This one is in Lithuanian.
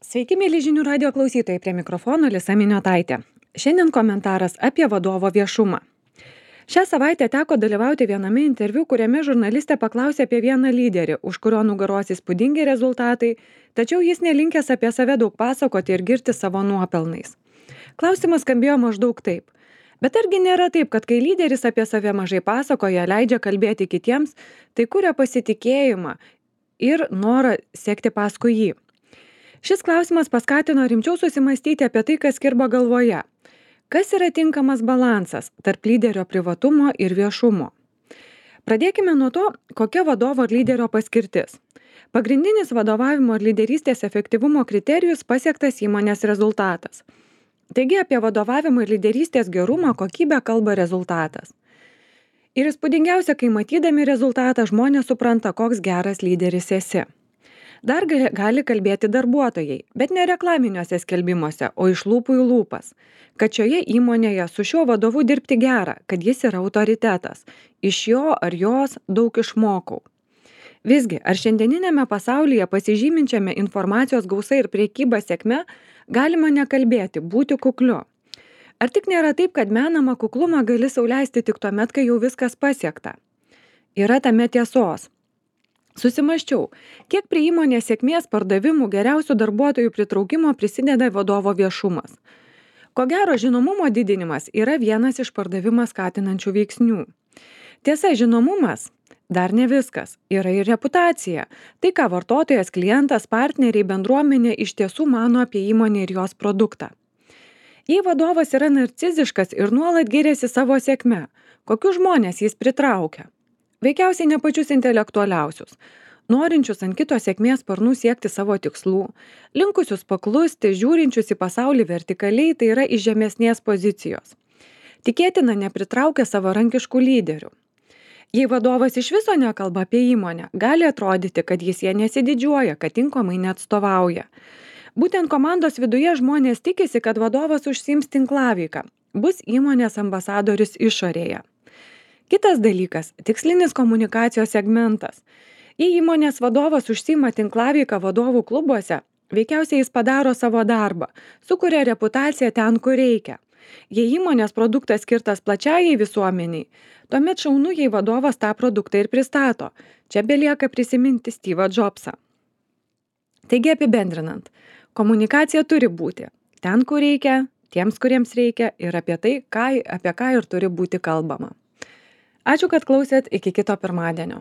Sveiki, mėly žinių radio klausytojai, prie mikrofono Lisa Miniotaitė. Šiandien komentaras apie vadovo viešumą. Šią savaitę teko dalyvauti viename interviu, kuriame žurnalistė paklausė apie vieną lyderį, už kurio nugaros įspūdingi rezultatai, tačiau jis nelinkęs apie save daug pasakoti ir girti savo nuopelnais. Klausimas skambėjo maždaug taip. Bet argi nėra taip, kad kai lyderis apie save mažai pasakoja, leidžia kalbėti kitiems, tai kuria pasitikėjimą ir norą sekti paskui jį? Šis klausimas paskatino rimčiau susimastyti apie tai, kas kirba galvoje. Kas yra tinkamas balansas tarp lyderio privatumo ir viešumo? Pradėkime nuo to, kokia vadovo ir lyderio paskirtis. Pagrindinis vadovavimo ir lyderystės efektyvumo kriterijus pasiektas įmonės rezultatas. Taigi apie vadovavimo ir lyderystės gerumą kokybę kalba rezultatas. Ir įspūdingiausia, kai matydami rezultatą žmonės supranta, koks geras lyderis esi. Dar gali kalbėti darbuotojai, bet ne reklaminiuose skelbimuose, o iš lūpų į lūpas, kad šioje įmonėje su šiuo vadovu dirbti gera, kad jis yra autoritetas, iš jo ar jos daug išmokau. Visgi, ar šiandieninėme pasaulyje pasižyminčiame informacijos gausa ir priekyba sėkme galima nekalbėti, būti kukliu? Ar tik nėra taip, kad menamą kuklumą gali sau leisti tik tuomet, kai jau viskas pasiekta? Yra tame tiesos. Susimąsčiau, kiek prie įmonės sėkmės, pardavimų, geriausių darbuotojų pritraukimo prisideda vadovo viešumas. Ko gero, žinomumo didinimas yra vienas iš pardavimą skatinančių veiksnių. Tiesa, žinomumas dar ne viskas, yra ir reputacija. Tai, ką vartotojas, klientas, partneriai, bendruomenė iš tiesų mano apie įmonę ir jos produktą. Jei vadovas yra narciziškas ir nuolat giriasi savo sėkme, kokius žmonės jis pritraukia? Veikiausiai ne pačius intelektualiausius, norinčius ant kito sėkmės sparnų siekti savo tikslų, linkusius paklusti, žiūrinčius į pasaulį vertikaliai, tai yra iš žemesnės pozicijos. Tikėtina nepritraukia savarankiškų lyderių. Jei vadovas iš viso nekalba apie įmonę, gali atrodyti, kad jis ją nesididžiuoja, kad tinkamai neatstovauja. Būtent komandos viduje žmonės tikisi, kad vadovas užsiims tinklaveiką, bus įmonės ambasadorius išorėje. Kitas dalykas – tikslinis komunikacijos segmentas. Jei įmonės vadovas užsiima tinklaveiką vadovų klubuose, veikiausiai jis padaro savo darbą, sukuria reputaciją ten, kur reikia. Jei įmonės produktas skirtas plačiajai visuomeniai, tuomet šaunu, jei vadovas tą produktą ir pristato. Čia belieka prisiminti Steve'ą Jobsą. Taigi apibendrinant, komunikacija turi būti ten, kur reikia, tiems, kuriems reikia ir apie tai, apie ką ir turi būti kalbama. Ačiū, kad klausėt, iki kito pirmadienio.